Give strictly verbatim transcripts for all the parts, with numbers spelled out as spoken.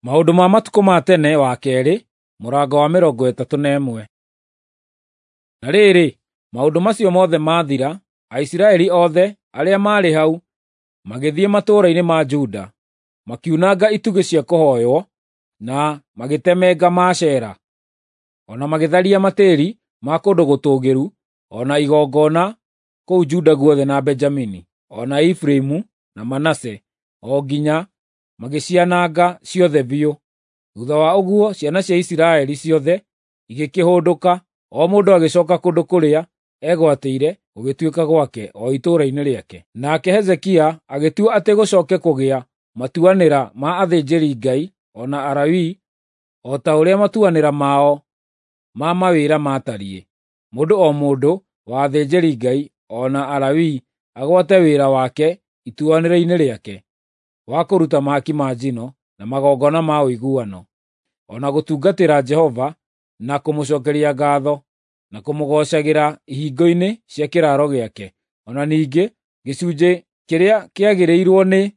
Maũndũ ma matukũ ma tene wa keerĩ, mũrango wa mĩrongo ĩtatũ na ĩmwe. Na rĩrĩ, maũndũ macio mothe maathira, Aisiraeli othe arĩa maarĩ hau magĩthiĩ matũũra-inĩ ma Juda, makiunanga itugĩ cia kũhooywo, na magĩtemenga Maashera, o na magĩtharia matĩĩri ma kũndũ gũtũũgĩru o na igongona kũu Juda guothe na Benjamini, o na Efiraimu na Manase, o nginya magĩciananga ciothe biũ. Thuutha wa ũguo ciana cia Isiraeli ciothe igĩkĩhũndũka, o mũndũ agĩcooka kũndũ kũrĩa eegwatĩire gũgĩtuĩka gwake, o itũũra-inĩ rĩake. Nake Hezekia agĩtua atĩ gũcooke kũgĩa matuanĩra ma athĩnjĩri-Ngai o na Alawii o ta ũrĩa matuanĩra mao ma mawĩra maatariĩ, mũndũ o mũndũ wa athĩnjĩri-Ngai o na Alawii agwate wĩra wake ituanĩra-inĩ rĩake, wa kũruta mahaki ma njino na magongona ma ũiguano, o na gũtungatĩra Jehova na kũmũcookeria ngaatho, na kũmũgoocagĩra ihingo-inĩ cia kĩraaro gĩake. O na ningĩ gĩcunjĩ kĩrĩa kĩagĩrĩirwo nĩ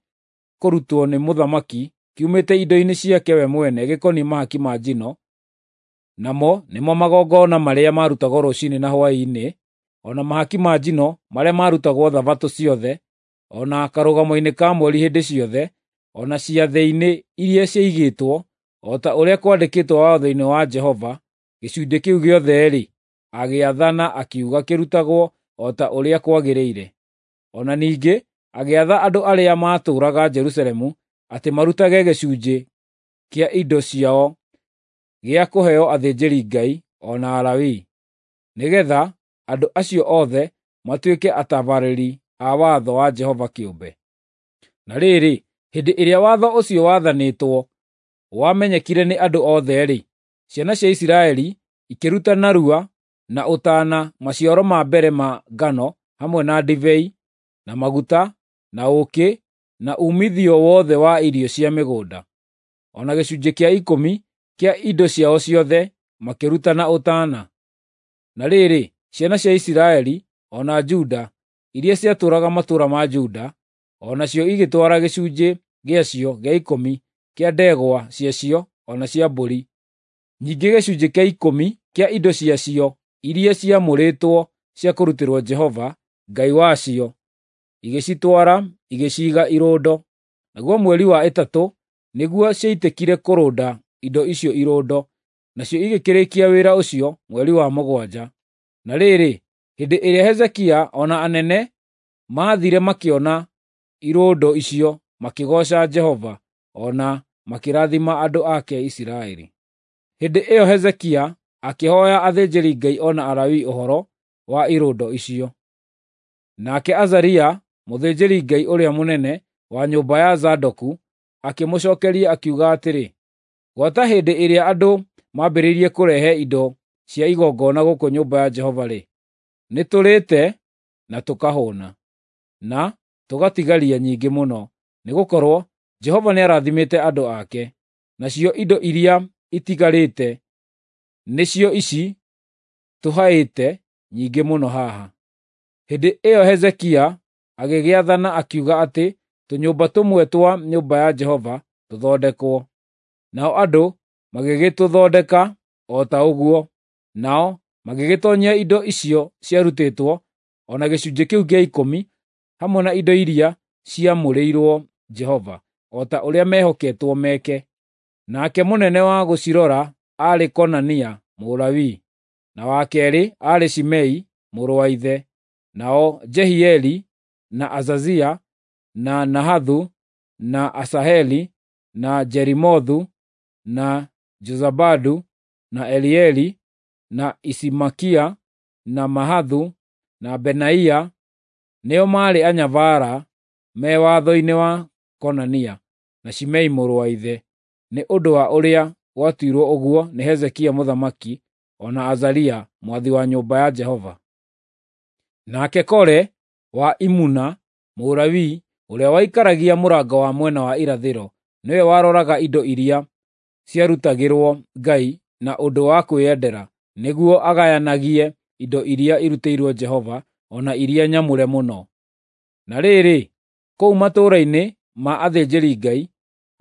kũrutwo nĩ mũthamaki kiumĩte indo-inĩ ciake we mwene gĩkoniĩ mahaki ma njino, namo nĩmo magongona marĩa maarutagwo rũciinĩ na hwaĩ-inĩ, o na mahaki ma njino marĩa maarutagwo Thabatũ ciothe, o na karũgamo-inĩ ka mweri hĩndĩ ciothe, o na ciathĩ-inĩ iria ciaigĩtwo, o ta ũrĩa kwandĩkĩtwo watho-inĩ wa Jehova. Gĩcunjĩ kĩu gĩothe-rĩ, agĩathana akiuga kĩrutagwo o ta ũrĩa kwagĩrĩire. O na ningĩ agĩatha andũ arĩa maatũũraga Jerusalemu atĩ marutage gĩcunjĩ kĩa indo ciao gĩa kũheo athĩnjĩri-Ngai o na Alawii, nĩgeetha andũ acio othe matuĩke atabarĩri a watho wa Jehova kĩũmbe. Na rĩrĩ, hĩndĩ ĩrĩa watho ũcio waathanĩtwo wamenyekire nĩ andũ othe-rĩ, ciana cia Isiraeli ikĩruta narua na ũtaana maciaro ma mbere ma ngano hamwe na ndibei, na maguta, na ũũkĩ, na uumithio wothe wa irio cia mĩgũnda, o na gĩcunjĩ kĩa ikũmi kĩa indo ciao ciothe makĩruta na ũtaana. Na rĩrĩ, ciana cia Isiraeli o na Juda iria ciatũũraga matũũra ma Juda, o nacio igĩtwara gĩcunjĩ gĩacio gĩa ikũmi kĩa ndegwa ciacio o na cia mbũri, ningĩ gĩcunjĩ kĩa ikũmi kĩa indo ciacio iria ciamũrĩtwo cia kũrutĩrwo Jehova Ngai wacio, igĩcitwara igĩciiga irũndo. Naguo mweri wa ĩtatũ nĩguo ciaitĩkire kũrũnda indo icio irũndo, nacio igĩkĩrĩkia wĩra ũcio mweri wa mũgwanja. Na rĩrĩ, hĩndĩ ĩrĩa Hezekia o na anene maathiire makĩona irũndo icio, makĩgooca Jehova o na makĩrathima andũ ake Isiraeli. Hĩndĩ ĩyo Hezekia akĩhooya athĩnjĩri-Ngai o na Alawii ũhoro wa irũndo icio. Nake Azaria, mũthĩnjĩri-Ngai ũrĩa mũnene wa nyũmba ya Zadoku, akĩmũcookeria akiuga atĩrĩ, “Gwata hĩndĩ ĩrĩa andũ mambĩrĩirie kũrehe indo cia igongona gũkũ nyũmba ya Jehova-rĩ, nĩtũrĩĩte na tũkahũũna, na tũgatigaria nyingĩ mũno, nĩgũkorwo Jehova nĩarathimĩte andũ ake. Nacio indo iria itigarĩte nĩcio ici tũhaĩte nyingĩ mũno haha.” Hĩndĩ ĩyo Hezekia agĩgĩathana akiuga atĩ tũnyũmba tũmwe twa nyũmba ya Jehova tũthondekwo. Nao andũ magĩgĩtũthondeka o ta ũguo, nao magĩgĩtoonyia indo icio ciarutĩtwo o na gĩcunjĩ kĩu gĩa ikũmi hamwe na indo iria ciamũrĩirwo Jehova, o ta ũrĩa meehoketwo meke. Nake mũnene wa gũcirora aarĩ Konania Mũlawii, na wa keerĩ aarĩ Shimei mũrũ wa ithe, nao Jehieli, na Azazia, na Nahathu, na Asaheli, na Jerimothu, na Jozabadu, na Elieli, na Isimakia, na Mahathu, na Benaia nĩo maarĩ anyabara me watho-inĩ wa Konania na Shimei mũrũ wa ithe, nĩ ũndũ wa ũrĩa gwatuirwo ũguo nĩ Hezekia mũthamaki o na Azaria mwathi wa nyũmba ya Jehova. Nake Kore wa Imuna, Mũlawii ũrĩa waikaragia mũrango wa mwena wa irathĩro, nĩwe waroraga indo iria ciarutagĩrwo Ngai na ũndũ wa kwĩyendera, nĩguo agayanagie indo iria irutĩirwo Jehova o na iria nyamũre mũno. Na rĩrĩ, kũu matũũra-inĩ ma athĩnjĩri-Ngai,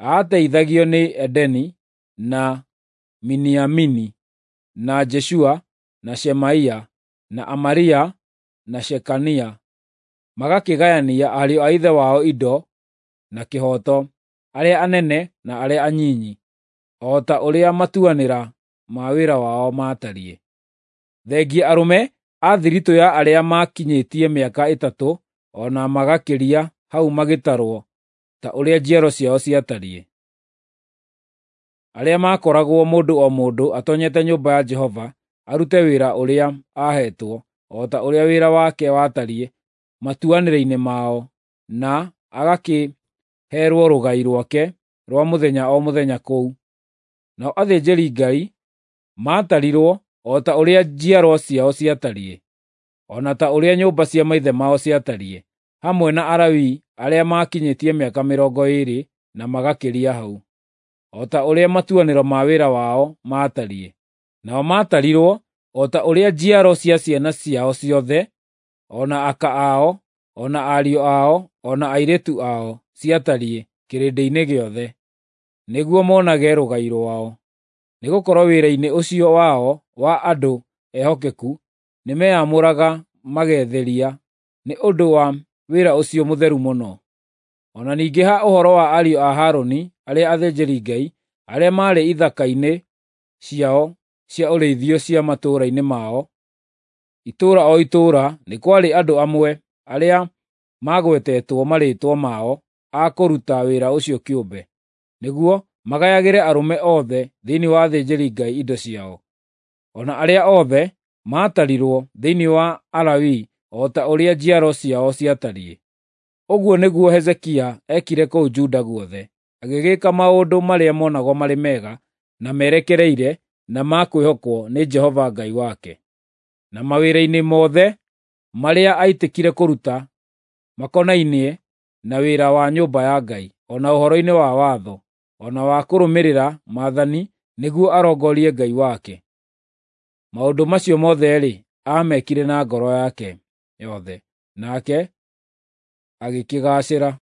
Aateithagio nĩ Edeni, na Miniamini, na Jeshua, na Shemaia, na Amaria, na Shekania, magakĩgayania ariũ a ithe wao indo na kĩhooto, arĩa anene na arĩa anyinyi, o ta ũrĩa matuanĩra ma wĩra wao maatariĩ. Thengia arũme a thiritũ ya arĩa maakinyĩtie mĩaka ĩtatũ o na magakĩria hau magĩtarwo ta ũrĩa njiaro ciao ciatariĩ. Arĩa maakoragwo mũndũ o mũndũ atoonyete nyũmba ya Jehova arute wĩra ũrĩa aaheetwo, o ta ũrĩa wĩra wake watariĩ matuanĩra-inĩ mao, na agakĩheerwo rũgai rwake rwa mũthenya o mũthenya kũu. Nao athĩnjĩri-Ngai maatarirwo o ta ũrĩa njiarwa ciao ciatariĩ, o na ta ũrĩa nyũmba cia maithe mao ciatariĩ, hamwe na Alawii arĩa maakinyĩtie mĩaka mĩrongo ĩĩrĩ na magakĩria hau, o ta ũrĩa matuanĩro ma wĩra wao maatariĩ. Nao maatarirwo o ta ũrĩa njiaro cia ciana ciao ciothe, o na aka ao, o na ariũ ao, o na airĩtu ao ciatariĩ kĩrĩndĩ-inĩ gĩothe, nĩguo monage rũgai rwao. Nĩgũkorwo wĩra-inĩ ũcio wao wa andũ ehokeku nĩmeyamũraga magetheria nĩ ũndũ wa wĩra ũcio mũtheru mũno. O na ningĩ ha ũhoro wa ariũ a Harũni arĩa athĩnjĩri-Ngai, arĩa maarĩ ithaka-inĩ ciao cia ũrĩithio cia matũũra-inĩ mao, itũũra o itũũra nĩ kwarĩ andũ amwe arĩa maagwetetwo marĩĩtwa mao a kũruta wĩra ũcio kĩũmbe, nĩguo magayagĩre arũme othe thĩinĩ wa athĩnjĩri-Ngai indo ciao, o na arĩa othe maatarirwo thĩinĩ wa Alawii o ta ũrĩa njiaro ciao ciatariĩ. Ũguo nĩguo Hezekia eekire kũu Juda guothe, agĩgĩka maũndũ marĩa monagwo marĩ mega na merekereire na ma kwĩhokwo nĩ Jehova Ngai wake, na mawĩra-inĩ mothe marĩa aitĩkire kũruta makonainie na wĩra wa nyũmba ya Ngai, o na ũhoro-inĩ wa watho, o na wa kũrũmĩrĩra maathani nĩguo arongorie Ngai wake. Maũndũ macio mothe-rĩ, aamekire na ngoro yake yothe, nake agĩkĩgaacĩra.